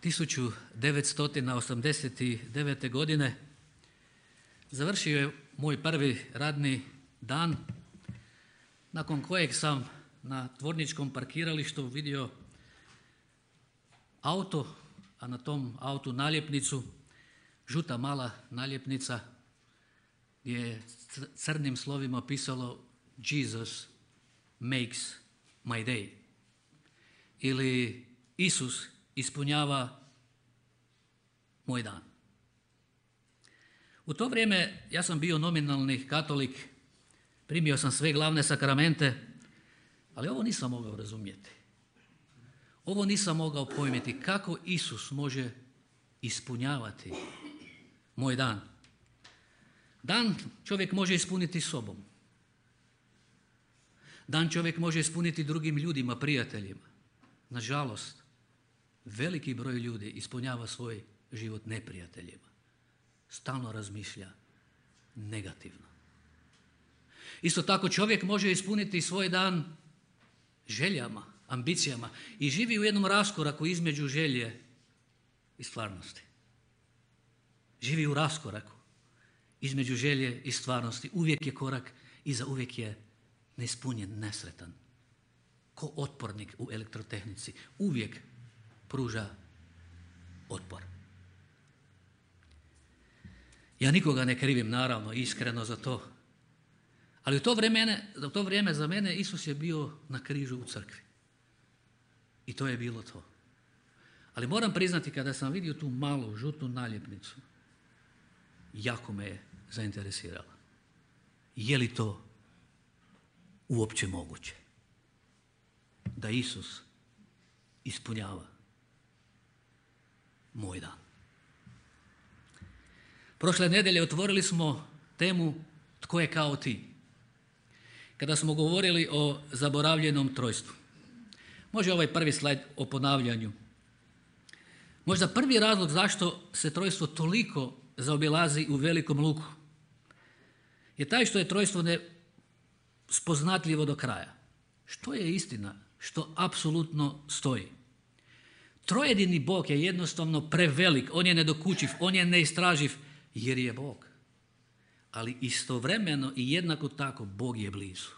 1989. godine završio je moj prvi radni dan, nakon kojeg sam na tvorničkom parkiralištu vidio auto, a na tom autu naljepnicu, žuta mala naljepnica gdje je crnim slovima pisalo Jesus makes my day, ili Isus ispunjava moj dan. U to vrijeme ja sam bio nominalni katolik, primio sam sve glavne sakramente, ali ovo nisam mogao razumjeti. Ovo nisam mogao pojmiti kako Isus može ispunjavati moj dan. Dan čovjek može ispuniti sobom. Dan čovjek može ispuniti drugim ljudima, prijateljima. Nažalost, veliki broj ljudi ispunjava svoj život neprijateljima. Stalno razmišlja negativno. Isto tako čovjek može ispuniti svoj dan željama, ambicijama i živi u jednom raskoraku između želje i stvarnosti. Živi u raskoraku između želje i stvarnosti. Uvijek je korak iza, uvijek je neispunjen, nesretan. Ko otpornik u elektrotehnici. Uvijek pruža otpor. Ja nikoga ne krivim, naravno, iskreno za to. Ali u to vrijeme za mene Isus je bio na križu u crkvi. I to je bilo to. Ali moram priznati, kada sam vidio tu malu žutu naljepnicu, jako me je zainteresirala. Je li to uopće moguće? Da Isus ispunjava moj dan. Prošle nedjelje otvorili smo temu Tko je kao ti? Kada smo govorili o zaboravljenom trojstvu. Može ovaj prvi slajd o ponavljanju. Možda prvi razlog zašto se trojstvo toliko zaobilazi u Velikom Luku je taj što je trojstvo nespoznatljivo do kraja. Što je istina? Što apsolutno stoji. Trojedini Bog je jednostavno prevelik, on je nedokučiv, on je neistraživ jer je Bog. Ali istovremeno i jednako tako Bog je blizu.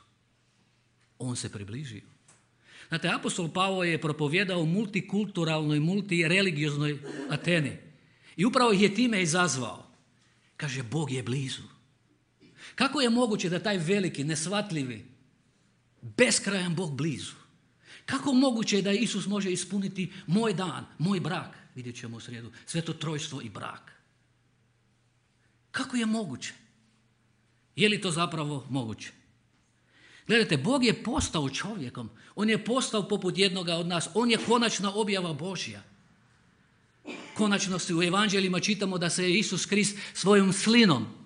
On se približio. Znate, apostol Pavao je propovjedao u multikulturalnoj, multireligijoznoj Ateni. I upravo ih je time izazvao. Kaže, Bog je blizu. Kako je moguće da taj veliki, nesvatljivi, beskrajan Bog blizu? Kako moguće je da Isus može ispuniti moj dan, moj brak? Vidjet ćemo u srijedu, sveto trojstvo i brak. Kako je moguće? Je li to zapravo moguće? Gledajte, Bog je postao čovjekom. On je postao poput jednoga od nas. On je konačna objava Božja. Konačno se u evanđeljima čitamo da se je Isus Krist svojom slinom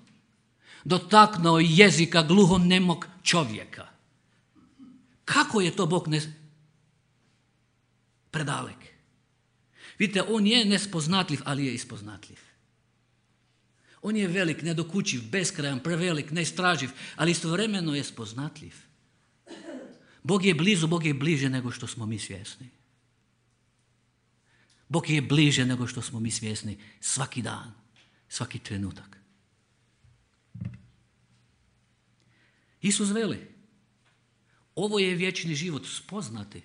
dotaknuo jezika gluhonemog čovjeka. Kako je to Bog predalek? Vidite, on je nespoznatljiv, ali je ispoznatljiv. On je velik, nedokučiv, beskrajan, prevelik, neistraživ, ali istovremeno je spoznatljiv. Bog je blizu, Bog je bliže nego što smo mi svjesni. Bog je bliže nego što smo mi svjesni svaki dan, svaki trenutak. Isus veli, ovo je vječni život, spoznati,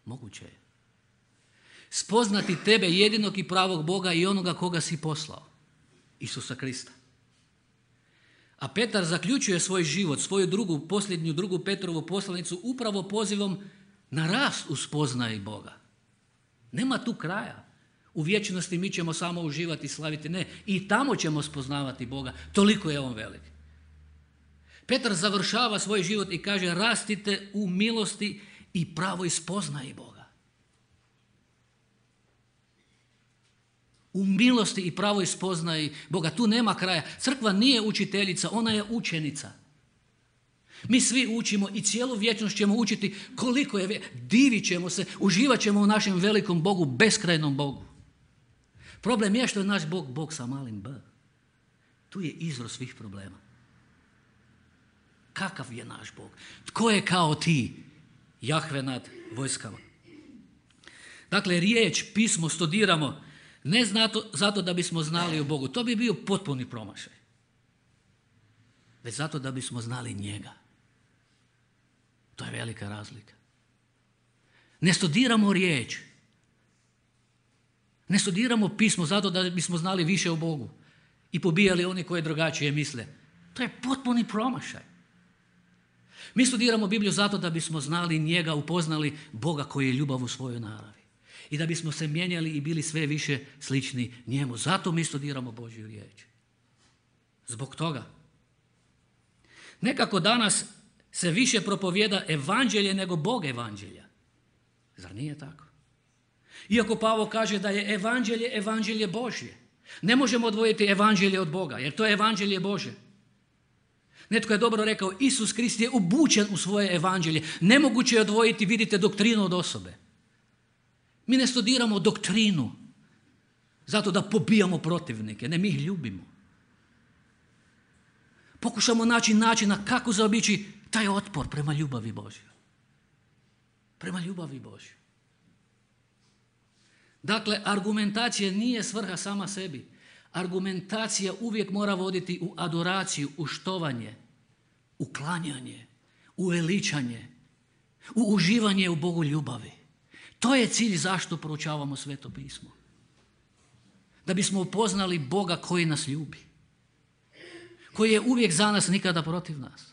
moguće je. Spoznati tebe, jedinog i pravog Boga i onoga koga si poslao, Isusa Krista. A Petar zaključuje svoj život, svoju posljednju drugu Petrovu poslanicu upravo pozivom na rast u spoznaji Boga. Nema tu kraja. U vječnosti mi ćemo samo uživati i slaviti. Ne, i tamo ćemo spoznavati Boga. Toliko je on velik. Petar završava svoj život i kaže, rastite u milosti i pravoj spoznaji Boga. U milosti i pravoj spoznaji Boga. Tu nema kraja. Crkva nije učiteljica, ona je učenica. Mi svi učimo i cijelu vječnost ćemo učiti koliko je, divit ćemo se, uživat ćemo u našem velikom Bogu, beskrajnom Bogu. Problem je što je naš Bog, Bog sa malim b. Tu je izvor svih problema. Kakav je naš Bog? Tko je kao ti? Jahve nad vojskama. Dakle, riječ, pismo studiramo ne zato da bismo znali o Bogu. To bi bio potpuni promašaj. Već zato da bismo znali njega. To je velika razlika. Ne studiramo riječ. Ne studiramo pismo zato da bismo znali više o Bogu i pobijali oni koji drugačije misle. To je potpuni promašaj. Mi studiramo Bibliju zato da bismo znali njega, upoznali Boga koji je ljubav u svojoj naravi. I da bismo se mijenjali i bili sve više slični njemu. Zato mi studiramo Božju riječ. Zbog toga. Nekako danas se više propovijeda evanđelje nego Bog evanđelja. Zar nije tako? Iako Pavao kaže da je evanđelje Božje. Ne možemo odvojiti evanđelje od Boga, jer to je evanđelje Božje. Netko je dobro rekao, Isus Krist je obučen u svoje evanđelje. Nemoguće je odvojiti, vidite, doktrinu od osobe. Mi ne studiramo doktrinu zato da pobijamo protivnike, ne, mi ih ljubimo. Pokušamo naći načina kako zaobići taj otpor prema ljubavi Božjoj. Prema ljubavi Božjoj. Dakle, argumentacija nije svrha sama sebi. Argumentacija uvijek mora voditi u adoraciju, u štovanje, u klanjanje, u veličanje, u uživanje u Bogu ljubavi. To je cilj zašto proučavamo Sveto pismo. Da bismo upoznali Boga koji nas ljubi. Koji je uvijek za nas, nikada protiv nas.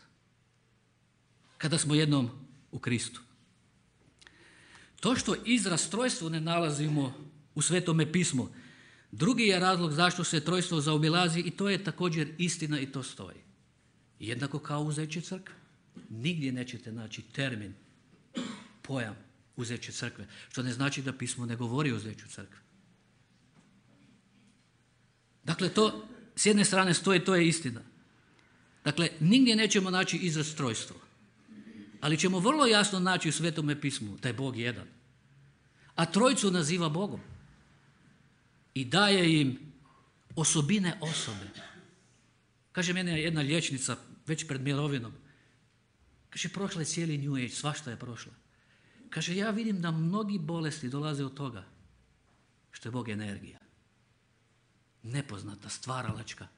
Kada smo jednom u Kristu. To što izraz trojstvo ne nalazimo u Svetome pismu, drugi je razlog zašto se trojstvo zaobilazi i to je također istina i to stoji. Jednako kao uzeće crkve. Nigdje nećete naći termin, pojam uzeće crkve, što ne znači da pismo ne govori o uzeću crkve. Dakle, to s jedne strane stoji, to je istina. Dakle, nigdje nećemo naći izraz trojstvo, ali ćemo vrlo jasno naći u Svetome pismu da je Bog jedan. A trojcu naziva Bogom i daje im osobine osobe. Kaže mene jedna liječnica već pred mirovinom. Kaže, prošla je cijeli New Age, svašta je prošla. Kaže, ja vidim da mnogi bolesti dolaze od toga što je Bog energija. Nepoznata, stvaralačka.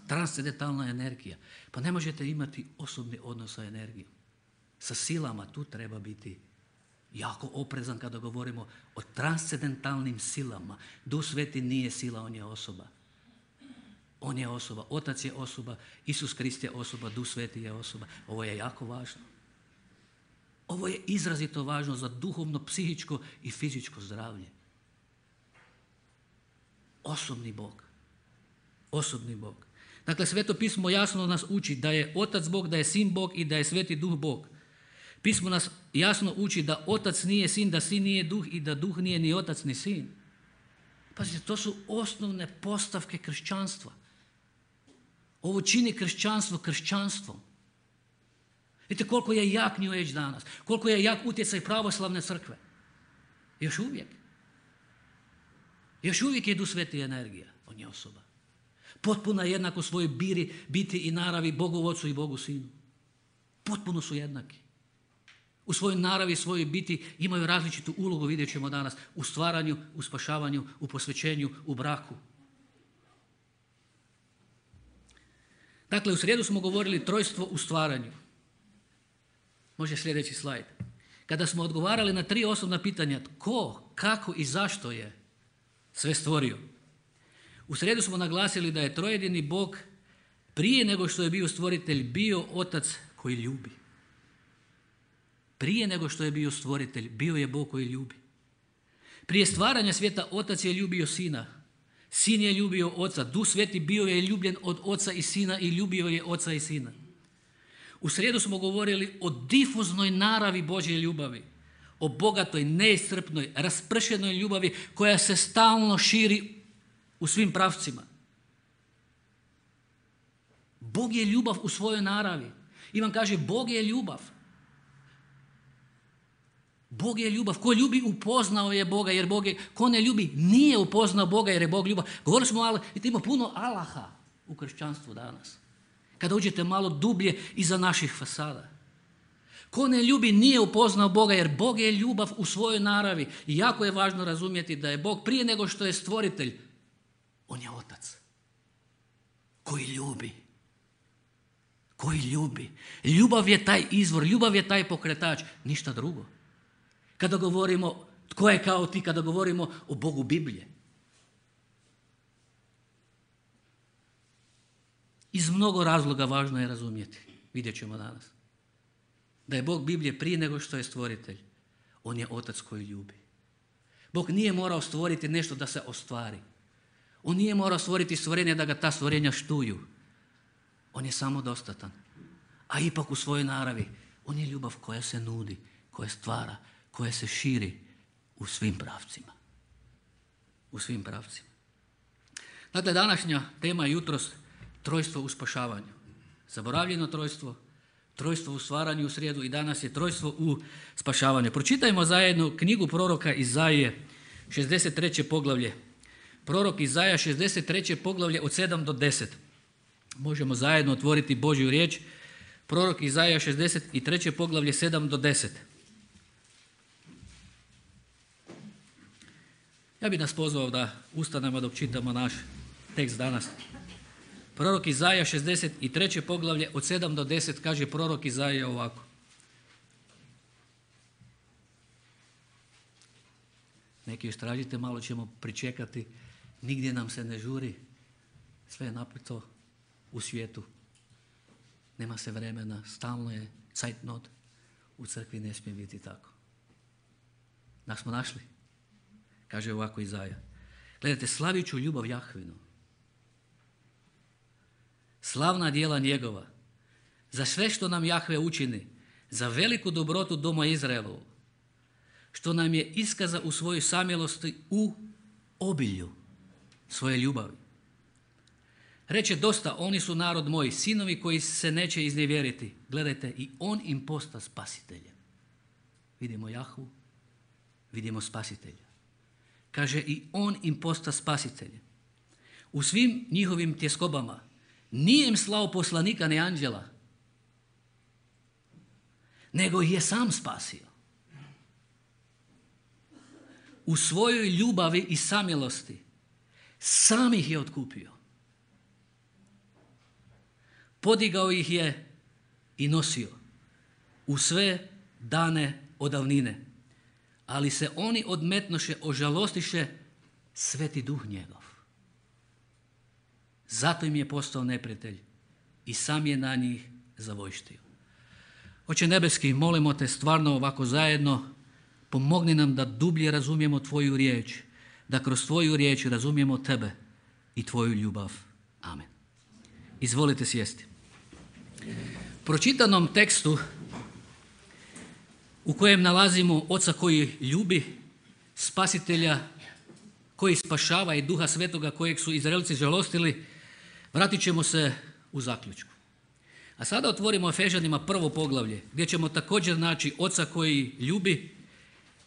Transcendentalna energija. Pa ne možete imati osobni odnos sa energijom. Sa silama tu treba biti jako oprezan kada govorimo o transcendentalnim silama. Duh Sveti nije sila, on je osoba. On je osoba, Otac je osoba, Isus Krist je osoba, Duh Sveti je osoba. Ovo je jako važno. Ovo je izrazito važno za duhovno, psihičko i fizičko zdravlje. Osobni Bog. Osobni Bog. Dakle, Sveto pismo jasno nas uči da je Otac Bog, da je Sin Bog i da je Sveti Duh Bog. Pismo nas jasno uči da Otac nije Sin, da Sin nije Duh i da Duh nije ni Otac ni Sin. Pazite, to su osnovne postavke kršćanstva. Ovo čini kršćanstvo kršćanstvom. Vidite koliko je jak New Age danas, koliko je jak utjecaj pravoslavne crkve. Još uvijek. Još uvijek je Duh Sveti energija, on je osoba. Potpuno jednako svojoj biti i naravi Bogu Ocu i Bogu Sinu. Potpuno su jednaki. U svojoj naravi i svojoj biti imaju različitu ulogu, vidjet ćemo danas, u stvaranju, u spašavanju, u posvećenju, u braku. Dakle, u srijedu smo govorili trojstvo u stvaranju. Može sljedeći slajd. Kada smo odgovarali na 3 osnovna pitanja, tko, kako i zašto je sve stvorio. U srijedu smo naglasili da je trojedini Bog prije nego što je bio stvoritelj bio Otac koji ljubi. Prije nego što je bio stvoritelj, bio je Bog koji ljubi. Prije stvaranja svijeta Otac je ljubio Sina. Sin je ljubio Oca. Duh Sveti bio je ljubljen od Oca i Sina i ljubio je Oca i Sina. U srijedu smo govorili o difuznoj naravi Božje ljubavi. O bogatoj, neiscrpnoj, raspršenoj ljubavi koja se stalno širi u svim pravcima. Bog je ljubav u svojoj naravi. Ivan kaže, Bog je ljubav. Bog je ljubav. Ko ljubi, upoznao je Boga, jer Bog je, ko ne ljubi, nije upoznao Boga, jer je Bog ljubav. Govorili smo, ali ima puno Allaha u kršćanstvu danas. Kada uđete malo dublje iza naših fasada. Tko ne ljubi nije upoznao Boga, jer Bog je ljubav u svojoj naravi. I jako je važno razumjeti da je Bog prije nego što je stvoritelj, on je otac koji ljubi. Koji ljubi. Ljubav je taj izvor, ljubav je taj pokretač, ništa drugo. Kada govorimo tko je kao ti, kada govorimo o Bogu Biblije. Iz mnogo razloga važno je razumjeti, vidjet ćemo danas, da je Bog Biblije prije nego što je stvoritelj. On je otac koji ljubi. Bog nije morao stvoriti nešto da se ostvari. On nije morao stvoriti stvorenje da ga ta stvorenja štuju. On je samodostatan. A ipak u svojoj naravi on je ljubav koja se nudi, koja stvara, koja se širi u svim pravcima. U svim pravcima. Dakle, današnja tema je jutros trojstvo u spašavanju. Zaboravljeno trojstvo, trojstvo u stvaranju u srijedu i danas je trojstvo u spašavanju. Pročitajmo zajedno knjigu proroka Izaije, 63. poglavlje. Prorok Izaija, 63. poglavlje od 7 do 10. Možemo zajedno otvoriti Božju riječ. Prorok Izaija, 63. poglavlje, 7 do 10. Ja bih nas pozvao da ustanemo dok čitamo naš tekst danas. Prorok Izaija, 63. poglavlje od 7 do 10, kaže prorok Izaija ovako. Neki još tražite, malo ćemo pričekati. Nigdje nam se ne žuri. Sve je napito u svijetu. Nema se vremena, stalno je zeitnot. U crkvi ne smije biti tako. Nas smo našli. Kaže ovako Izaija. Gledajte, slavit ću ljubav Jahvinu. Slavna djela njegova. Za sve što nam Jahve učini. Za veliku dobrotu doma Izraelovu. Što nam je iskaza u svojoj samilosti u obilju svoje ljubavi. Reče dosta, oni su narod moj, sinovi koji se neće iznevjeriti. Gledajte, i on im posta spasiteljem. Vidimo Jahvu, vidimo spasitelja. Kaže, i on im posta spasiteljem. U svim njihovim tjeskobama nije im slao poslanika ni anđela, nego ih je sam spasio. U svojoj ljubavi i samilosti sam ih je otkupio. Podigao ih je i nosio u sve dane od davnine. Ali se oni odmetnoše, ožalostiše Sveti Duh njegov. Zato im je postao neprijatelj i sam je na njih zavojštio. Oče nebeski, molimo te stvarno ovako zajedno, pomogni nam da dublje razumijemo tvoju riječ, da kroz tvoju riječ razumijemo tebe i tvoju ljubav. Amen. Izvolite sjesti. Pročitanom tekstu u kojem nalazimo Oca koji ljubi, Spasitelja koji spašava i Duha Svetoga kojeg su Izraelci žalostili, vratit ćemo se u zaključku. A sada otvorimo Efežanima 1. poglavlje, gdje ćemo također naći Oca koji ljubi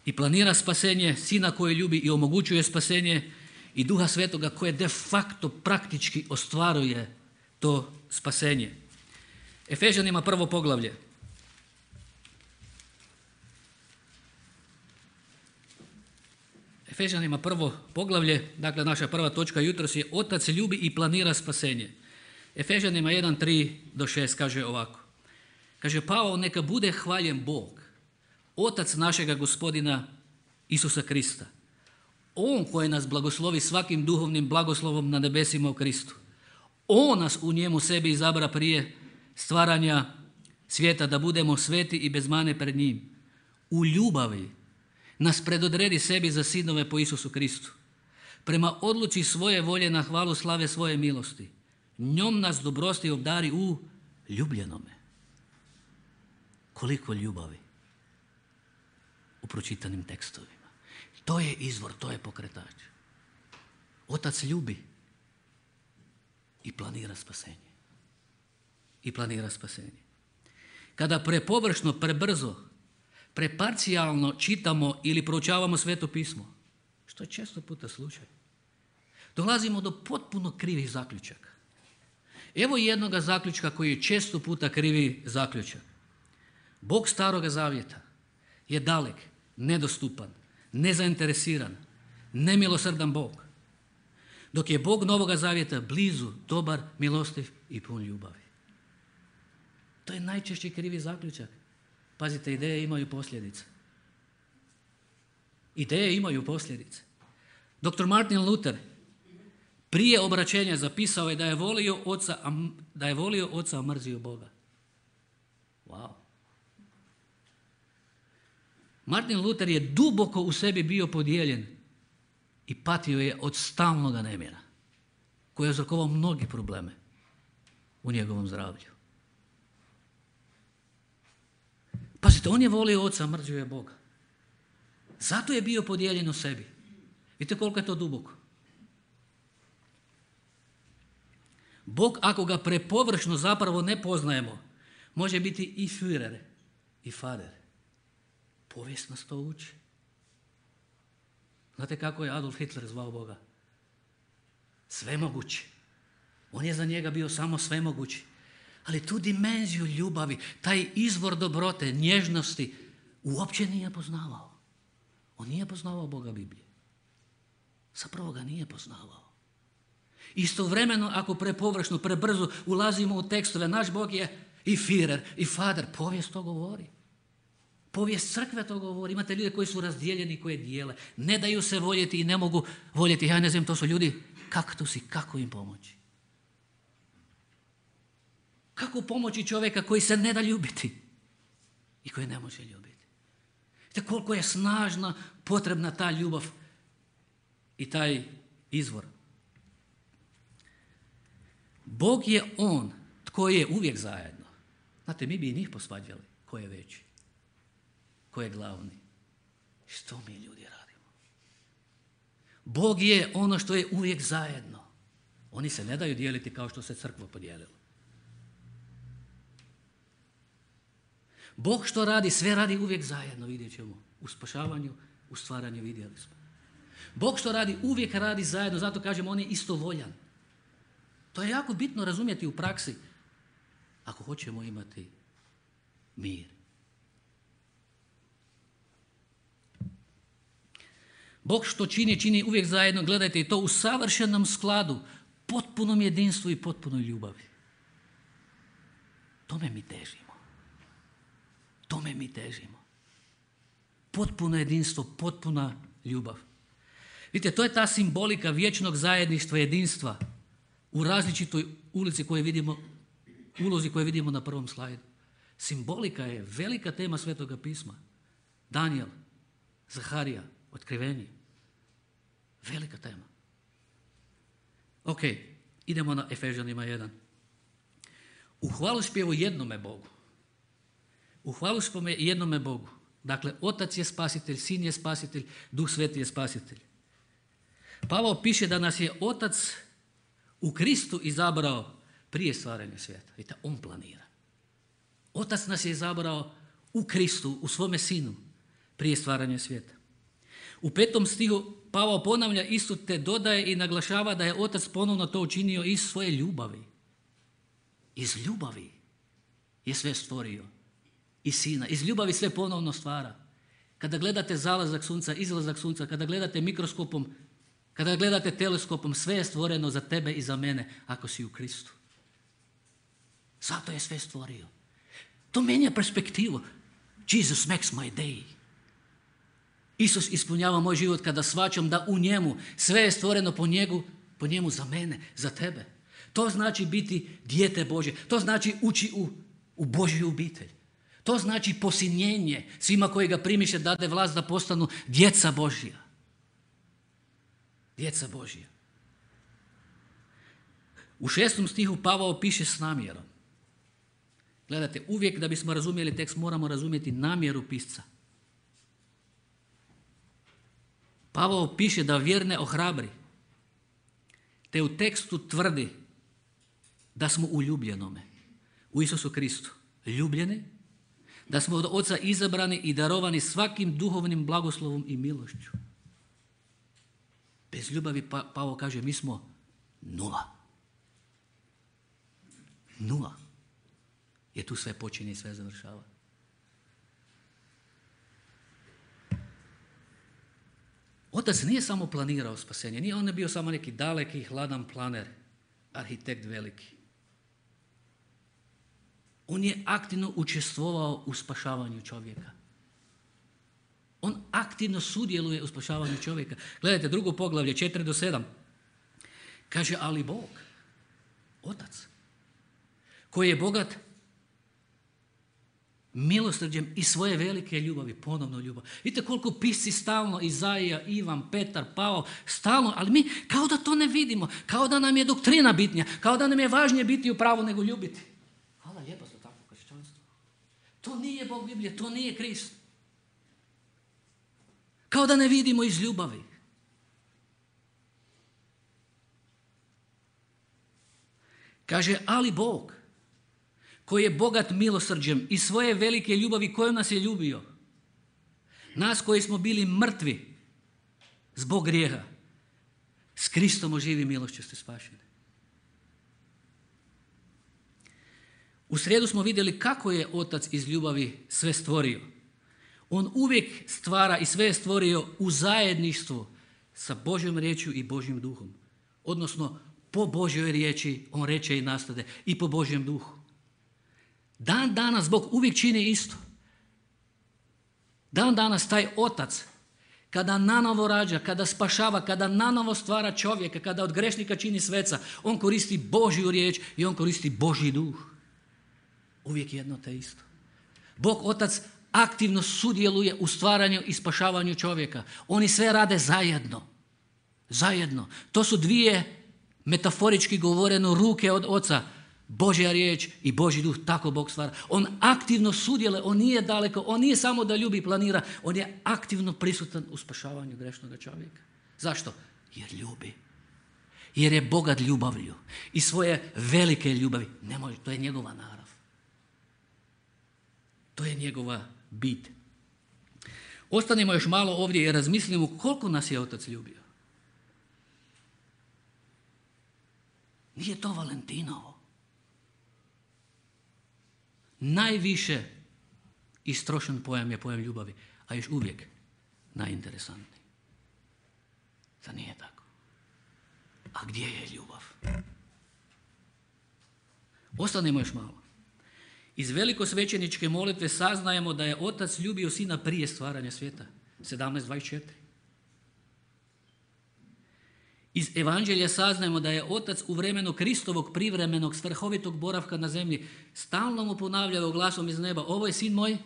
i planira spasenje, Sina koji ljubi i omogućuje spasenje i Duha Svetoga koje de facto praktički ostvaruje to spasenje. Efežanima 1. poglavlje. Efežanima 1. poglavlje, dakle naša prva točka jutros je Otac ljubi i planira spasenje. Efežanima 1, 3 do 6 kaže ovako. Kaže, Pavao, neka bude hvaljen Bog, Otac našega Gospodina Isusa Krista. On koji nas blagoslovi svakim duhovnim blagoslovom na nebesima u Kristu. On nas u njemu sebi izabra prije stvaranja svijeta da budemo sveti i bez mane pred njim. U ljubavi nas predodredi sebi za sinove po Isusu Kristu. Prema odluci svoje volje na hvalu slave svoje milosti. Njom nas dobrosti obdari u ljubljenome. Koliko ljubavi u pročitanim tekstovima. To je izvor, to je pokretač. Otac ljubi i planira spasenje. I planira spasenje. Kada prepovršno, prebrzo, preparcijalno čitamo ili proučavamo Sveto pismo, što je često puta slučaj, dolazimo do potpuno krivih zaključaka. Evo jednoga zaključka koji je često puta krivi zaključak. Bog Staroga Zavjeta je dalek, nedostupan, nezainteresiran, nemilosrdan Bog. Dok je Bog Novoga Zavjeta blizu, dobar, milostiv i pun ljubavi. To je najčešće krivi zaključak. Pazite, ideje imaju posljedice. Ideje imaju posljedice. Dr. Martin Luther prije obraćenja zapisao je da je volio oca, a mrzio Boga. Wow. Martin Luther je duboko u sebi bio podijeljen i patio je od stalnoga nemira, koji je uzrokovao mnogi probleme u njegovom zdravlju. Pazite, on je volio oca, a mrzio je Boga. Zato je bio podijeljen u sebi. Vidite koliko je to duboko. Bog, ako ga prepovršno zapravo ne poznajemo, može biti i Führer i Vater. Povijest nas to uči. Znate kako je Adolf Hitler zvao Boga? Svemogući. On je za njega bio samo svemogući. Ali tu dimenziju ljubavi, taj izvor dobrote, nježnosti, uopće nije poznavao. On nije poznavao Boga Biblije. Zapravo ga nije poznavao. Istovremeno, ako prepovršno, prebrzo ulazimo u tekstove, naš Bog je i Führer i Vater. Povijest to govori. Povijest crkve to govori. Imate ljude koji su razdijeljeni, koji dijele. Ne daju se voljeti i ne mogu voljeti. Ja ne znam, to su ljudi kaktusi. Kako im pomoći? Kako pomoći čovjeka koji se ne da ljubiti i koji ne može ljubiti? Vidite koliko je snažna, potrebna ta ljubav i taj izvor. Bog je on tko je uvijek zajedno. Znate, mi bi i njih posvađali. Ko je veći? Ko je glavni? Što mi ljudi radimo? Bog je ono što je uvijek zajedno. Oni se ne daju dijeliti kao što se crkva podijelila. Bog što radi, sve radi uvijek zajedno, vidjet ćemo. U spašavanju, u stvaranju vidjeli smo. Bog što radi, uvijek radi zajedno, zato kažemo on je istovoljan. To je jako bitno razumjeti u praksi ako hoćemo imati mir. Bog što čini uvijek zajedno, gledajte i to u savršenom skladu, potpunom jedinstvu i potpunoj ljubavi. Tome mi težimo. Tome mi težimo. Potpuno jedinstvo, potpuna ljubav. Vidite, to je ta simbolika vječnog zajedništva, jedinstva u različitoj ulozi koju vidimo na prvom slajdu. Simbolika je velika tema Svetoga pisma. Danijel, Zaharija, Otkrivenje. Velika tema. Ok, idemo na Efežanima 1. U hvalospjevu jednome Bogu. U hvalospjevu jednome Bogu. Dakle, Otac je spasitelj, Sin je spasitelj, Duh Sveti je spasitelj. Pavao piše da nas je Otac u Kristu izabrao prije stvaranja svijeta. Vidite, on planira. Otac nas je izabrao u Kristu, u svome Sinu, prije stvaranja svijeta. U 5. stihu Pavao ponavlja isto, te dodaje i naglašava da je Otac ponovno to učinio iz svoje ljubavi. Iz ljubavi je sve stvorio. I Sina. Iz ljubavi sve ponovno stvara. Kada gledate zalazak sunca, izlazak sunca, kada gledate mikroskopom, kada gledate teleskopom, sve je stvoreno za tebe i za mene ako si u Kristu. Zato je sve stvorio. To mijenja perspektivu. Jesus makes my day. Isus ispunjava moj život kada shvaćam da u njemu sve je stvoreno po njemu za mene, za tebe. To znači biti dijete Božje. To znači ući u Božju obitelj. To znači posinjenje svima koji ga primiše dade vlast da postanu djeca Božja. Djeca Božja. U 6. stihu Pavao piše s namjerom. Gledajte, uvijek da bismo razumjeli tekst moramo razumjeti namjeru pisca. Pavao piše da vjerne ohrabri, te u tekstu tvrdi da smo u ljubljenome, u Isusu Kristu, ljubljeni, da smo od Oca izabrani i darovani svakim duhovnim blagoslovom i milošću. Bez ljubavi, Pavao kaže, mi smo nula. Nula. Jer tu sve počinje i sve završava. Otac nije samo planirao spasenje, nije on bio samo neki daleki, hladan planer, arhitekt veliki. On je aktivno učestvovao u spašavanju čovjeka. On aktivno sudjeluje u spašavanju čovjeka. Gledajte, 2. poglavlje, 4-7. Kaže, ali Bog, Otac, koji je bogat milosrđem i svoje velike ljubavi, ponovno ljubav. Vidite koliko pisci stalno, Izaija, Ivan, Petar, Pavao, stalno, ali mi kao da to ne vidimo, kao da nam je doktrina bitnija, kao da nam je važnije biti u pravu nego ljubiti. Hvala lijepo za takvo kršćanstvo. To nije Bog Biblije, to nije Krist. Kao da ne vidimo iz ljubavi. Kaže, ali Bog, koji je bogat milosrđem i svoje velike ljubavi kojom nas je ljubio, nas koji smo bili mrtvi zbog grijeha, s Kristom oživi milošću ste spašeni. U srijedu smo vidjeli kako je Otac iz ljubavi sve stvorio. On uvijek stvara i sve je stvorio u zajedništvu sa Božjom riječju i Božjim duhom. Odnosno, po Božjoj riječi on reče i nastade i po Božjem duhu. Dan danas Bog uvijek čini isto. Dan danas taj Otac, kada nanovo rađa, kada spašava, kada nanovo stvara čovjeka, kada od grešnika čini sveca, on koristi Božju riječ i on koristi Božji duh. Uvijek jedno te isto. Bog Otac aktivno sudjeluje u stvaranju i spašavanju čovjeka. Oni sve rade zajedno. Zajedno. To su dvije, metaforički govoreno, ruke od Oca. Božja riječ i Božji duh, tako Bog stvara. On aktivno sudjeluje, on nije daleko, on nije samo da ljubi i planira, on je aktivno prisutan u spašavanju grešnog čovjeka. Zašto? Jer ljubi. Jer je bogat ljubavlju i svoje velike ljubavi. Ne može, to je njegova narav. To je njegova bit. Ostanimo još malo ovdje i razmislimo koliko nas je Otac ljubio. Nije to Valentinovo. Najviše istrošen pojam je pojam ljubavi, a još uvijek najinteresantniji. Zar nije tako? A gdje je ljubav? Ostanimo još malo. Iz velikosvećeničke molitve saznajemo da je Otac ljubio Sina prije stvaranja svijeta. 17.24. Iz Evanđelja saznajemo da je Otac u vremenu Kristovog privremenog strahovitog boravka na zemlji stalno mu ponavljao glasom iz neba: ovo je Sin moj,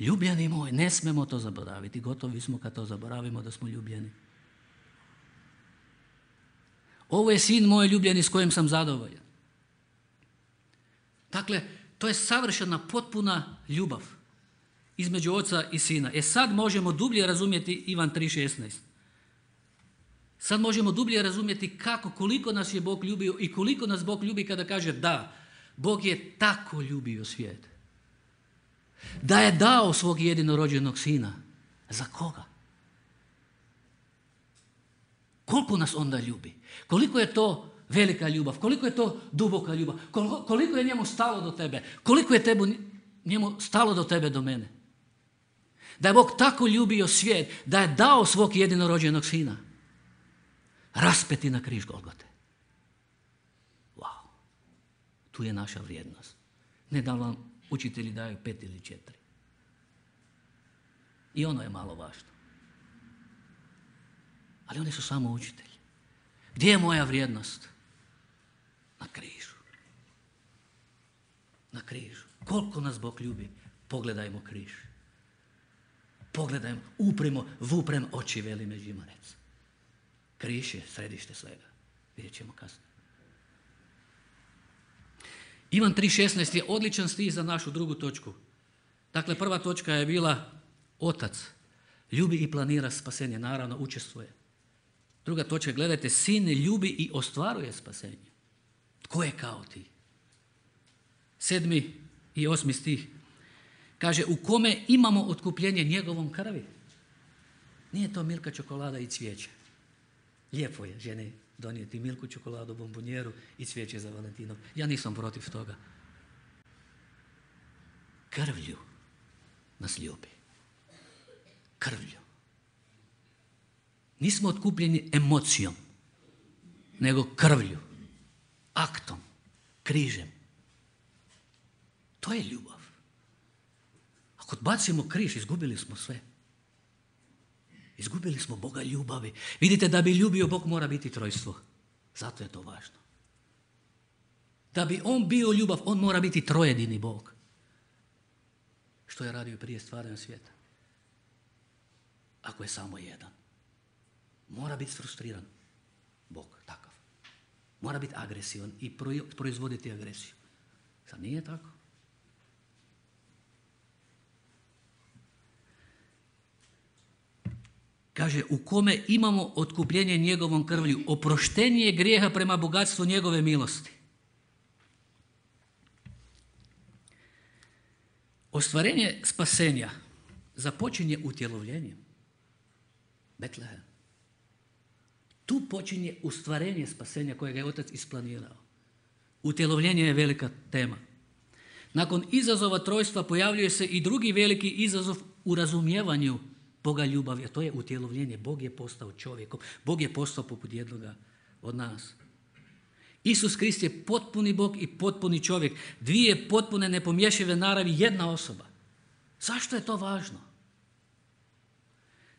ljubljeni moj. Ne smemo to zaboraviti. Gotovi smo kad to zaboravimo da smo ljubljeni. Ovo je Sin moj ljubljeni s kojim sam zadovoljan. Dakle, to je savršena, potpuna ljubav između Oca i Sina. Sad možemo dublje razumjeti Ivan 3.16. Sad možemo dublje razumjeti koliko nas je Bog ljubio i koliko nas Bog ljubi kada kaže da, Bog je tako ljubio svijet. Da je dao svog jedinorođenog Sina. Za koga? Koliko nas onda ljubi? Koliko je to velika ljubav? Koliko je to duboka ljubav? Koliko je njemu stalo do tebe? Koliko je njemu stalo do tebe, do mene? Da je Bog tako ljubio svijet, da je dao svog jedinorođenog Sina. Raspeti na križ Golgote. Wow. Tu je naša vrijednost. Ne da vam učitelji daju 5 ili 4. I ono je malo važno. Ali oni su samo učitelji. Gdje je moja vrijednost? Na križu. Na križu. Koliko nas Bog ljubi? Pogledajmo križ. Pogledajmo, vuprem oči, veli Međimurec. Križ je središte svega. Vidjet ćemo kasnije. Ivan 3.16 je odličan stih za našu drugu točku. Dakle, prva točka je bila Otac ljubi i planira spasenje, naravno učestvuje. Druga točka, gledajte, Sin ljubi i ostvaruje spasenje. Tko je kao ti? 7. i 8. stih kaže: u kome imamo otkupljenje njegovom krvi. Nije to Milka čokolada i cvijeće. Lijepo je žene donijeti Milku čokoladu, bombonjeru i cvijeće za Valentinov. Ja nisam protiv toga. Krvlju nas ljubi. Krvlju. Nismo otkupljeni emocijom, nego krvlju, aktom, križem. To je ljubav. Ako odbacimo križ, izgubili smo sve. Izgubili smo Boga ljubavi. Vidite, da bi ljubio Bog mora biti trojstvo. Zato je to važno. Da bi on bio ljubav, on mora biti trojedini Bog. Što je radio prije stvaranja svijeta? Ako je samo jedan. Mora biti frustriran Bog, takav. Mora biti agresivan i proizvoditi agresiju. Sad nije tako. Kaže, u kome imamo otkupljenje njegovom krvlju, oproštenje grijeha prema bogatstvu njegove milosti. Ostvarenje spasenja započinje utjelovljenjem. Betlehem. Tu počinje ostvarenje spasenja kojega je Otac isplanirao. Utjelovljenje je velika tema. Nakon izazova trojstva pojavljuje se i drugi veliki izazov u razumijevanju Boga ljubavi, a to je utjelovljenje. Bog je postao čovjekom. Bog je postao poput jednoga od nas. Isus Krist je potpuni Bog i potpuni čovjek. Dvije potpune nepomješive naravi, jedna osoba. Zašto je to važno?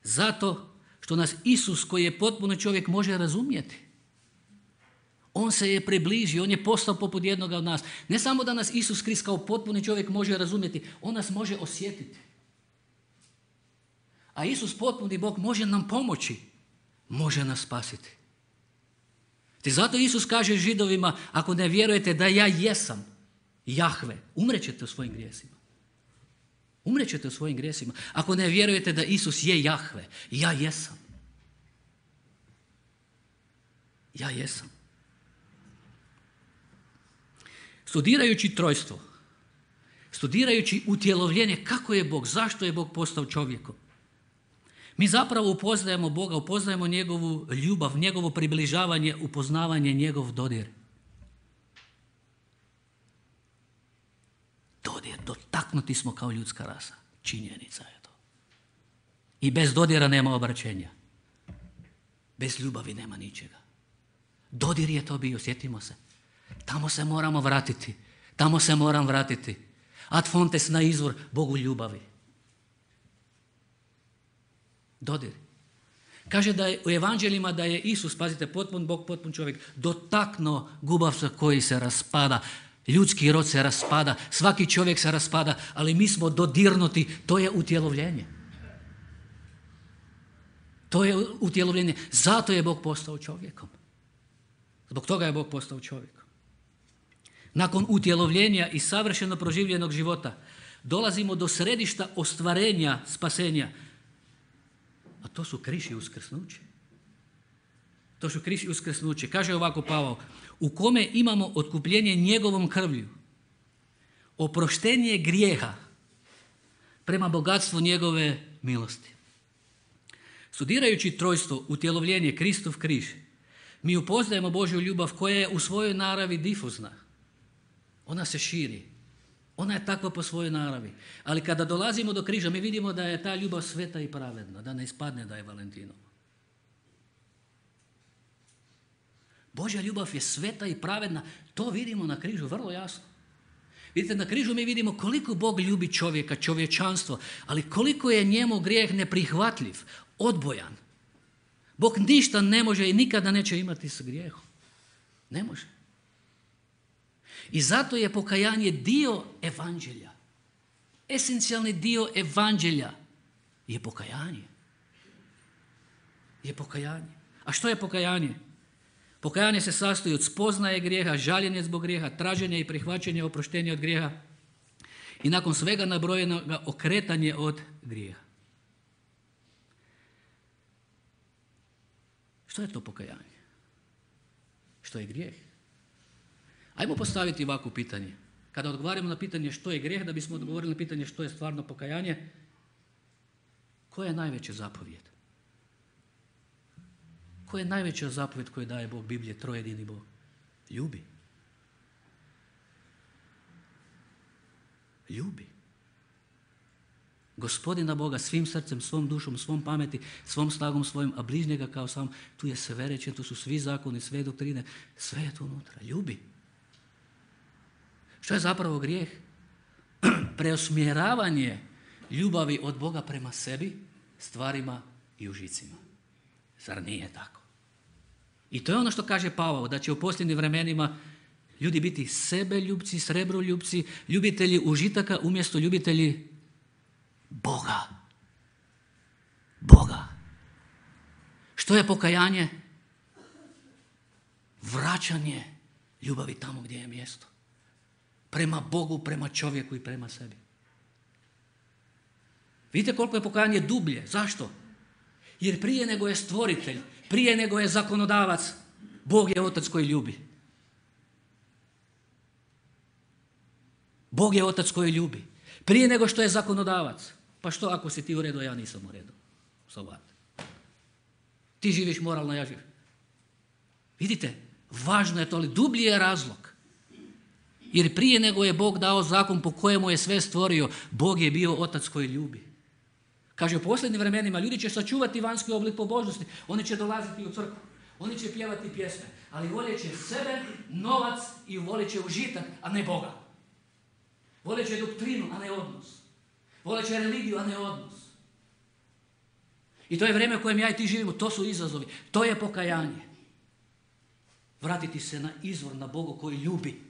Zato što nas Isus, koji je potpuno čovjek, može razumjeti. On se je približio, on je postao poput jednoga od nas. Ne samo da nas Isus Krist kao potpuni čovjek može razumjeti, on nas može osjetiti. A Isus, potpuni Bog, može nam pomoći, može nas spasiti. Te zato Isus kaže Židovima, ako ne vjerujete da ja jesam Jahve, umrećete u svojim grijesima. Umrećete u svojim grijesima. Ako ne vjerujete da Isus je Jahve, ja jesam. Ja jesam. Studirajući trojstvo, studirajući utjelovljenje, kako je Bog, zašto je Bog postao čovjekom, mi zapravo upoznajemo Boga, upoznajemo njegovu ljubav, njegovo približavanje, upoznavanje, njegov dodir. Dodir, dotaknuti smo kao ljudska rasa. Činjenica je to. I bez dodira nema obraćenja. Bez ljubavi nema ničega. Dodir je to bio, sjetimo se. Tamo se moramo vratiti. Tamo se moram vratiti. Ad fontes, na izvor Bogu ljubavi. Dodir. Kaže da je u evanđeljima da je Isus, pazite, potpun Bog, potpun čovjek, dotaknuo gubavca koji se raspada. Ljudski rod se raspada, svaki čovjek se raspada, ali mi smo dodirnuti, to je utjelovljenje. To je utjelovljenje. Zato je Bog postao čovjekom. Zbog toga je Bog postao čovjekom. Nakon utjelovljenja i savršeno proživljenog života dolazimo do središta ostvarenja spasenja. A to su križ i uskrsnuće. To su križ i uskrsnuće. Kaže ovako Pavao, u kome imamo otkupljenje njegovom krvlju, oproštenje grijeha prema bogatstvu njegove milosti. Studirajući trojstvo, utjelovljenje, Kristov križ, mi upoznajemo Božju ljubav koja je u svojoj naravi difuzna. Ona se širi. Ona je takva po svojoj naravi. Ali kada dolazimo do križa, mi vidimo da je ta ljubav sveta i pravedna, da ne ispadne da je Valentinova. Božja ljubav je sveta i pravedna. To vidimo na križu vrlo jasno. Vidite, na križu mi vidimo koliko Bog ljubi čovjeka, čovječanstvo, ali koliko je njemu grijeh neprihvatljiv, odbojan. Bog ništa ne može i nikada neće imati s grijehom. Ne može. I zato je pokajanje dio evanđelja. Esencijalni dio evanđelja je pokajanje. Je pokajanje. A što je pokajanje? Pokajanje se sastoji od spoznaje grijeha, žaljenja zbog grijeha, traženja i prihvaćanja oproštenja od grijeha i nakon svega nabrojenoga okretanje od grijeha. Što je to pokajanje? Što je grijeh? Ajmo postaviti ovako pitanje. Kada odgovaramo na pitanje što je grijeh, da bismo odgovorili na pitanje što je stvarno pokajanje, koja je najveća zapovjed? Koja je najveća zapovjed koju daje Bog Biblije, trojedini Bog? Ljubi. Ljubi. Gospodina Boga svim srcem, svom dušom, svom pameti, svom snagom svojim, a bližnjega kao sam. Tu je sve rečeno, tu su svi zakoni, sve doktrine, sve je tu unutra. Ljubi. Što je zapravo grijeh? Preusmjeravanje ljubavi od Boga prema sebi, stvarima i užicima. Zar nije tako? I to je ono što kaže Pavao, da će u posljednjim vremenima ljudi biti sebeljubci, srebroljubci, ljubitelji užitaka umjesto ljubitelji Boga. Boga. Što je pokajanje? Vraćanje ljubavi tamo gdje je mjesto. Prema Bogu, prema čovjeku i prema sebi. Vidite koliko je pokajanje dublje. Zašto? Jer prije nego je stvoritelj, prije nego je zakonodavac, Bog je otac koji ljubi. Bog je otac koji ljubi. Prije nego što je zakonodavac. Pa što ako si ti u redu, a ja nisam u redu? Ti živiš moralno, ja živim. Vidite, važno je to, ali dublji je razlog. Jer prije nego je Bog dao zakon po kojemu je sve stvorio, Bog je bio otac koji ljubi. Kaže, u posljednjim vremenima ljudi će sačuvati vanjski oblik pobožnosti. Oni će dolaziti u crkvu. Oni će pjevati pjesme. Ali voljet će sebe, novac i voljet će užitak, a ne Boga. Voljet će doktrinu, a ne odnos. Voljet će religiju, a ne odnos. I to je vrijeme u kojem ja i ti živimo. To su izazovi. To je pokajanje. Vratiti se na izvor, na Boga koji ljubi.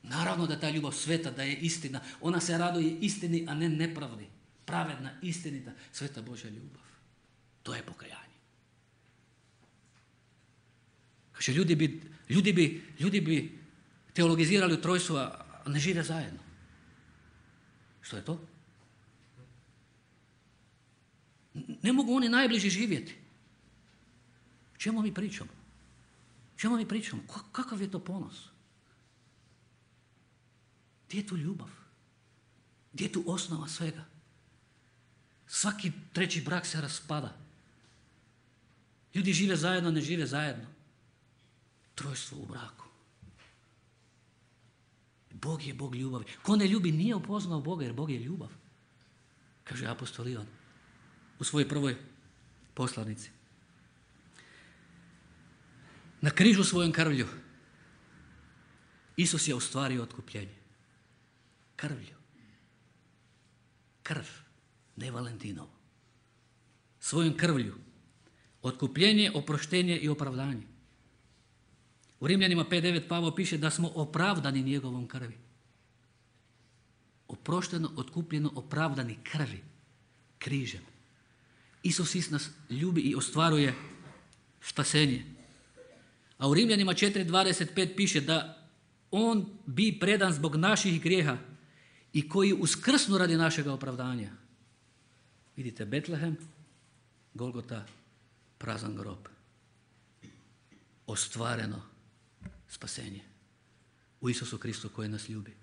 Naravno da ta ljubav sveta, da je istina. Ona se raduje istini, a ne nepravdi. Pravedna, istinita, sveta Božja ljubav. To je pokajanje. Kaže, ljudi bi teologizirali u trojstvu, a ne žive zajedno. Što je to? Ne mogu oni najbliži živjeti. O čemu mi pričamo? Kakav je to ponos? Gdje je tu ljubav? Gdje je tu osnova svega? Svaki treći brak se raspada. Ljudi žive zajedno, ne žive zajedno. Trojstvo u braku. Bog je Bog ljubavi. Ko ne ljubi nije upoznao Boga, jer Bog je ljubav. Kaže apostol Ivan u svojoj prvoj poslanici. Na križu svojom krvlju Isus je ostvario otkupljenje. Krvlju. Krv, ne Valentinovo. Svojom krvlju. Otkupljenje, oproštenje i opravdanje. U Rimljanima 5.9 Pavao piše da smo opravdani njegovom krvi. Oprošteno, otkupljeno, opravdani krvi. Križem. Isus nas ljubi i ostvaruje spasenje. A u Rimljanima 4.25 piše da on bi predan zbog naših grijeha i koji uskrsnu radi našega opravdanja. Vidite, Betlehem, Golgota, prazan grob. Ostvareno spasenje u Isusu Kristu koji nas ljubi.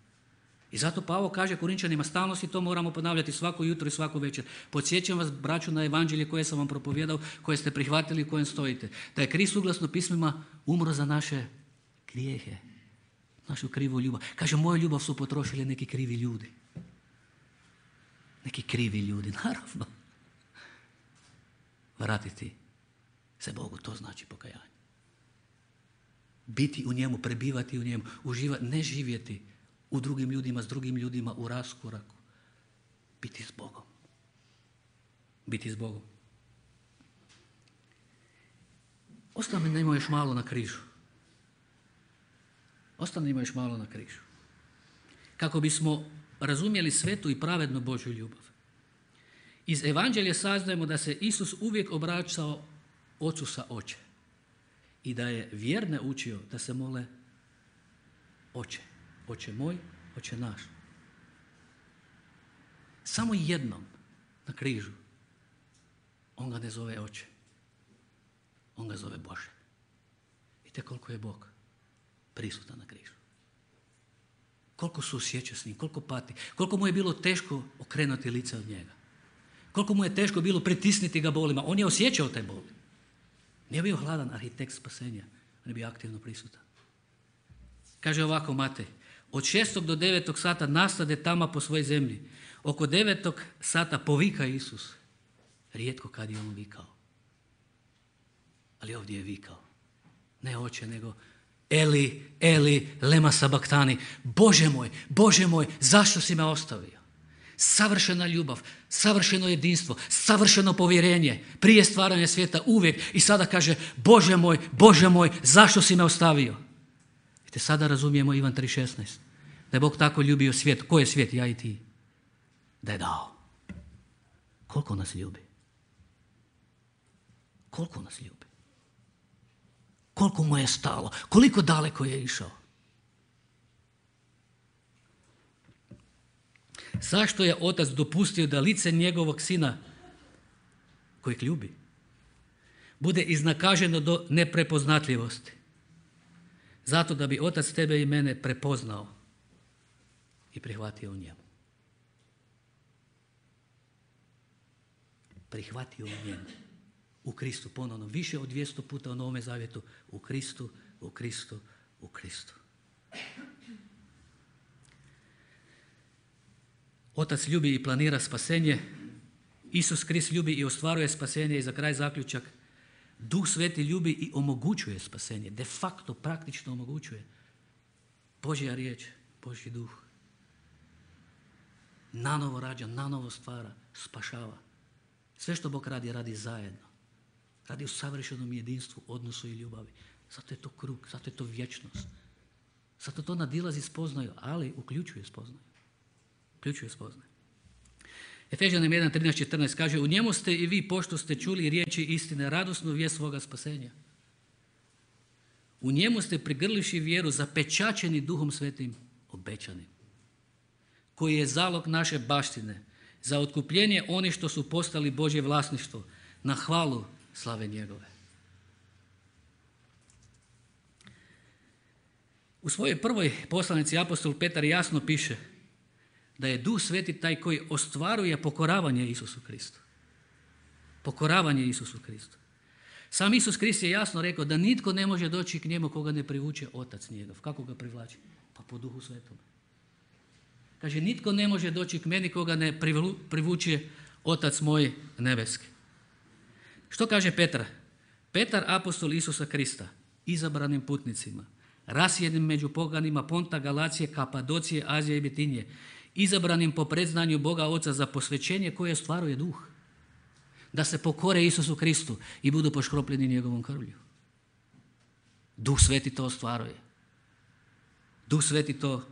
I zato Pavao kaže Korinčanima, stalno si to moramo ponavljati svako jutro i svaku večer. Podsjećam vas, braću, na evanđelje koje sam vam propovijedao, koje ste prihvatili i kojem stojite. Da je Krist suglasno pismima umro za naše grijehe, našu krivu ljubav. Kaže, moju ljubav su potrošili neki krivi ljudi. Neki krivi ljudi, naravno. Vratiti se Bogu, to znači pokajanje. Biti u njemu, prebivati u njemu, uživati, ne živjeti u drugim ljudima, s drugim ljudima, u raskoraku. Biti s Bogom. Biti s Bogom. Ostanimo još malo na križu. Ostanimo još malo na križu. Kako bismo razumjeli svetu i pravednu Božju ljubav. Iz evanđelja saznajemo da se Isus uvijek obraćao Ocu sa oče. I da je vjerne učio da se mole Oče. Oče moj, Oče naš. Samo jednom na križu on ga ne zove Oče. On ga zove Bože. Vidite koliko je Bog prisutan na križu. Koliko se osjeća s njim, koliko pati, koliko mu je bilo teško okrenuti lice od njega. Koliko mu je teško bilo pritisniti ga bolima. On je osjećao te boli. Nije bio hladan arhitekt spasenja, on je bio aktivno prisutan. Kaže ovako Matej, od 6. do 9. sata nastade tama po svojoj zemlji. Oko 9 sata povika Isus. Rijetko kad je on vikao. Ali ovdje je vikao. Ne oče, nego Eli, Eli, lema sabaktani. Bože moj, zašto si me ostavio? Savršena ljubav, savršeno jedinstvo, savršeno povjerenje. Prije stvaranja svijeta uvijek. I sada kaže, Bože moj, zašto si me ostavio? Vidite, sada razumijemo Ivan 3.16. Da je Bog tako ljubio svijet. Ko je svijet? Ja i ti. Da je dao. Koliko nas ljubi? Koliko nas ljubi? Koliko mu je stalo? Koliko daleko je išao? Zašto je otac dopustio da lice njegovog sina, kojeg ljubi, bude iznakaženo do neprepoznatljivosti? Zato da bi otac tebe i mene prepoznao i prihvatio u njemu. Prihvatio u njemu. U Kristu, ponovno, više od 200 puta u Novome Zavjetu. U Kristu, u Kristu, u Kristu. Otac ljubi i planira spasenje. Isus Krist ljubi i ostvaruje spasenje. I za kraj zaključak. Duh Sveti ljubi i omogućuje spasenje. De facto, praktično omogućuje. Božja riječ, Božji duh. Nanovo rađa, nanovo stvara, spašava. Sve što Bog radi, radi zajedno. Radi u savršenom jedinstvu, odnosu i ljubavi. Zato je to krug, zato je to vječnost. Zato to nadilazi spoznaju, ali uključuje spoznaju. Uključuje spoznaju. Efežanim 1.13.14 kaže, u njemu ste i vi, pošto ste čuli riječi istine, radosnu vijest svoga spasenja. U njemu ste prigrliši vjeru, zapečaćeni Duhom Svetim, obećanim, koji je zalog naše baštine, za otkupljenje onih što su postali Božje vlasništvo, na hvalu slave njegove. U svojoj prvoj poslanici apostol Petar jasno piše da je Duh Sveti taj koji ostvaruje pokoravanje Isusu Kristu. Pokoravanje Isusu Kristu. Sam Isus Krist je jasno rekao da nitko ne može doći k njemu koga ne privuče Otac njegov. Kako ga privlači? Pa po Duhu Svetom. Kaže, nitko ne može doći k meni koga ne privuče Otac moj nebeski. Što kaže Petar? Petar, apostol Isusa Krista, izabranim putnicima, rasjedim među poganima Ponta, Galacije, Kapadocije, Azije i Bitinje, izabranim po predznanju Boga Oca za posvećenje koje ostvaruje Duh, da se pokore Isusu Kristu i budu poškropljeni njegovom krvlju. Duh Sveti to ostvaruje. Duh Sveti to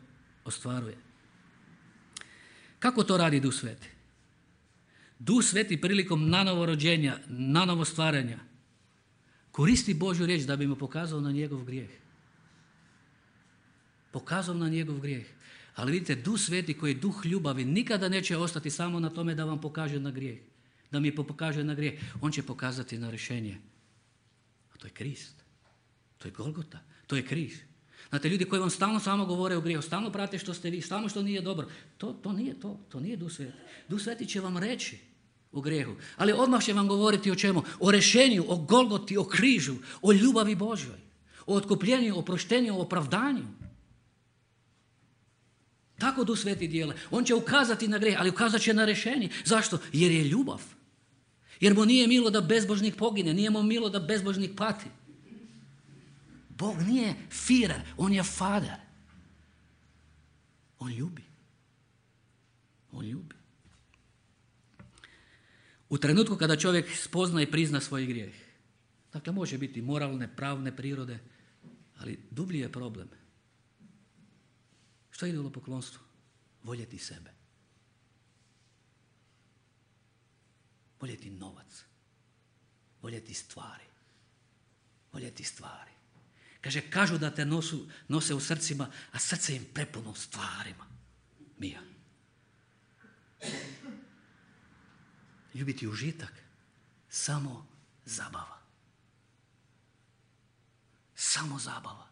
ostvaruje. Kako to radi Duh Sveti? Duh Sveti prilikom nanovo rođenja, nanovo stvaranja, koristi Božju riječ da bi mu pokazao na njegov grijeh. Pokazao na njegov grijeh. Ali vidite, Duh Sveti koji je duh ljubavi nikada neće ostati samo na tome da vam pokaže na grijeh. Da mi pokaže na grijeh. On će pokazati na rješenje. A to je Krist. To je Golgota. To je križ. Znate, ljudi koji vam stalno samo govore o grijehu, stalno prate što ste vi, stalno što nije dobro. To nije to. To nije Duh Sveti. Duh Sveti će vam reći o grijehu. Ali odmah će vam govoriti o čemu? O rješenju, o Golgoti, o križu, o ljubavi Božjoj, o otkupljenju, o proštenju, o opravdanju. Tako Duh Sveti dijele. On će ukazati na grijeh, ali ukazat će na rješenje. Zašto? Jer je ljubav. Jer mu nije milo da bezbožnik pogine, nije mu milo da bezbožnik pati. Bog nije Führer, on je Fader. On ljubi. On ljubi. U trenutku kada čovjek spozna i prizna svoj grijeh, dakle može biti moralne, pravne prirode, ali dublji je problem. Što je idolopoklonstvo? Voljeti sebe. Voljeti novac. Voljeti stvari. Voljeti stvari. Kaže, kažu da te nose u srcima, a srce im prepuno stvarima. Mija. Ljubiti užitak, samo zabava. Samo zabava.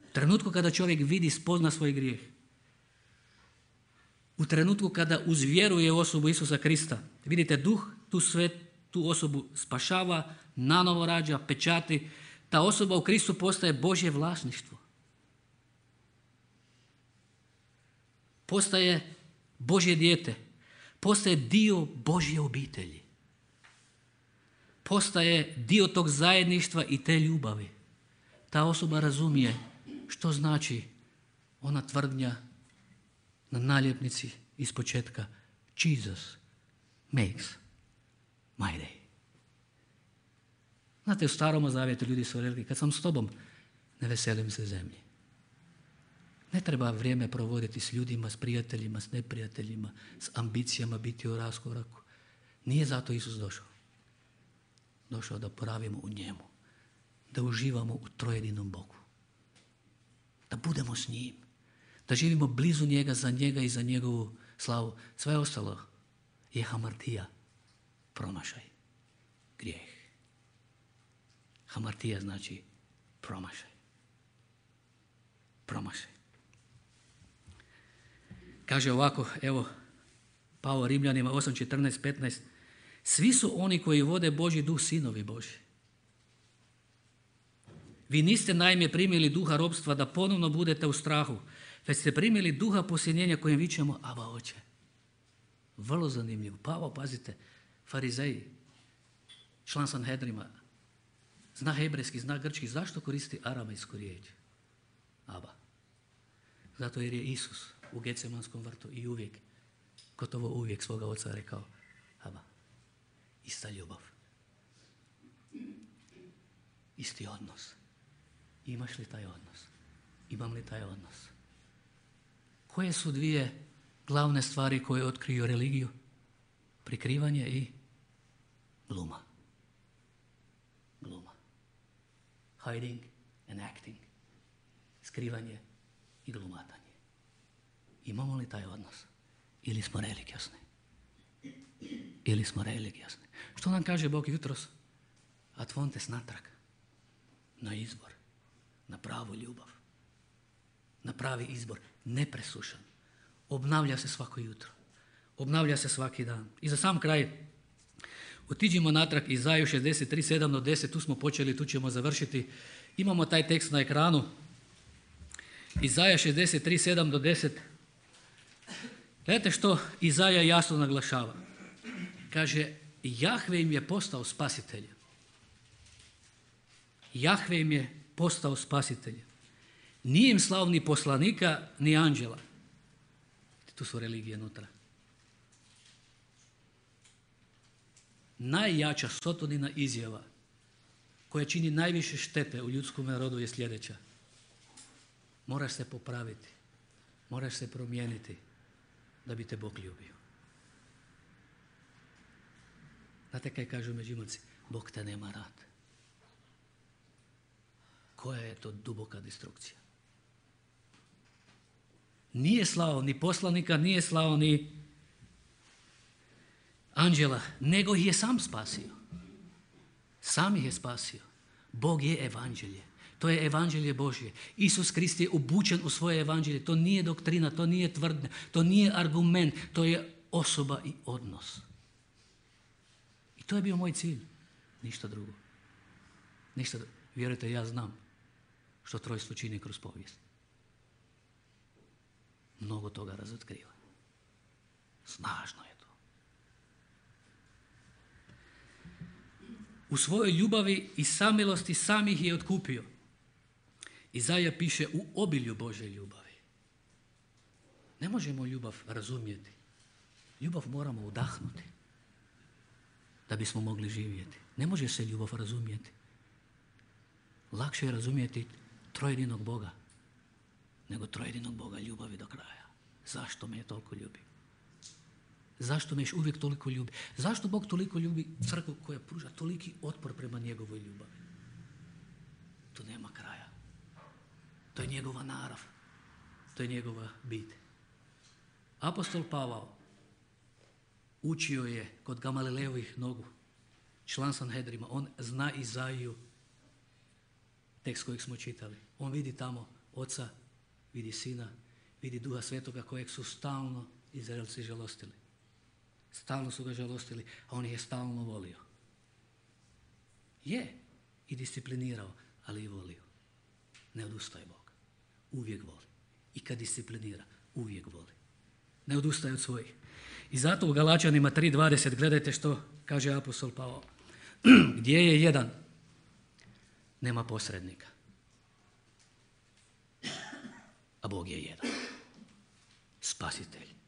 U trenutku kada čovjek vidi, spozna svoj grijeh, u trenutku kada uzvjeruje u osobu Isusa Krista, vidite, Duh tu osobu spašava, nanovo rađa, pečati, ta osoba u Kristu postaje Božje vlasništvo. postaje Božje dijete, postaje dio Božje obitelji. Postaje dio tog zajedništva i te ljubavi. Ta osoba razumije što znači ona tvrdnja na naljepnici iz početka. Jesus makes my day. Znate, u Starom zavjetu ljudi su rekli, kad sam s tobom, ne veselim se zemlji. Ne treba vrijeme provoditi s ljudima, s prijateljima, s neprijateljima, s ambicijama biti u raskoraku. Nije zato Isus došao. Došao da poravimo u njemu, da uživamo u trojedinom Bogu, da budemo s njim, da živimo blizu njega i za njegovu slavu. Sve ostalo je hamartija, promašaj, grijeh. Hamartija znači promašaj. Promašaj. Kaže ovako, evo, Pavao Rimljanima 8:14-15. Svi su oni koji vode Božji duh sinovi Božji. Vi niste naime primili duha ropstva da ponovno budete u strahu, već ste primili duha posjenjenja kojem vičemo Aba Oče. Vrlo zanimljivo. Pavao, pazite, farizeji, član Sanhedrima, zna hebrejski, zna grčki, zašto koristi aramejsku riječ? Aba. Zato jer je Isus u Getsemanskom vrtu i uvijek, gotovo uvijek svoga oca rekao Aba. Ista ljubav. Isti odnos. Imaš li taj odnos? Imam li taj odnos? Koje su dvije glavne stvari koje otkriju religiju? Prikrivanje i gluma. Gluma. Hiding and acting. Skrivanje i glumatanje. Imamo li taj odnos? Ili smo religiozni? Ili smo religiozni? Što nam kaže Bog jutros? Atvontes natrag. Na izbor. Na pravu ljubav. Na pravi izbor. Nepresušan. Obnavlja se svako jutro. Obnavlja se svaki dan. I za sam kraj otiđimo natrag Izaju 63:7-10. Tu smo počeli, tu ćemo završiti. Imamo taj tekst na ekranu. Izaja 63:7-10. Gledajte što Izaja jasno naglašava. Kaže, Jahve im je postao spasitelj. Jahve im je postao spasitelj. Nije im slao ni poslanika, ni anđela. Tu su religije unutra. Najjača Sotonina izjava koja čini najviše štete u ljudskom rodu je sljedeća. Moraš se popraviti. Moraš se promijeniti da bi te Bog ljubio. Znate kaj kažu Međimurci? Bog te nema rad. Koja je to duboka destrukcija? Nije slao ni poslanika, nije slao ni anđela, nego ih je sam spasio. Sam ih je spasio. Bog je evanđelje. To je evanđelje Božje. Isus Krist je obučen u svoje evanđelje. To nije doktrina, to nije tvrdnja, to nije argument, to je osoba i odnos. I to je bio moj cilj. Ništa drugo. Ništa drugo. Vjerujte, ja znam što trojstvo čini kroz povijest. Mnogo toga razotkriva. Snažno je to. U svojoj ljubavi i samilosti sam ih je otkupio. Izaja piše u obilju Božje ljubavi. Ne možemo ljubav razumjeti. Ljubav moramo udahnuti da bismo mogli živjeti. Ne može se ljubav razumjeti. Lakše je razumjeti trojedinog Boga nego trojedinog Boga ljubavi do kraja. Zašto me je toliko ljubi? Zašto me još uvijek toliko ljubi? Zašto Bog toliko ljubi crkvu koja pruža toliki otpor prema njegovoj ljubavi? Tu nema kraja. To je njegova narav. To je njegova bit. Apostol Pavao učio je kod Gamalilejevih nogu, član Sanhedrima. On zna Izaju, tekst kojeg smo čitali. On vidi tamo Oca, vidi Sina, vidi Duha Svetoga kojeg su stalno Izraelci žalostili. Stalno su ga žalostili, a on ih je stalno volio. Je i disciplinirao, ali i volio. Ne odustaje Bog. Uvijek voli. I kad disciplinira, uvijek voli. ne odustaje od svojih. I zato u Galačanima 3:20 gledajte što kaže apostol Pavao. Gdje je jedan, nema posrednika. A Bog je jedan. Spasitelj.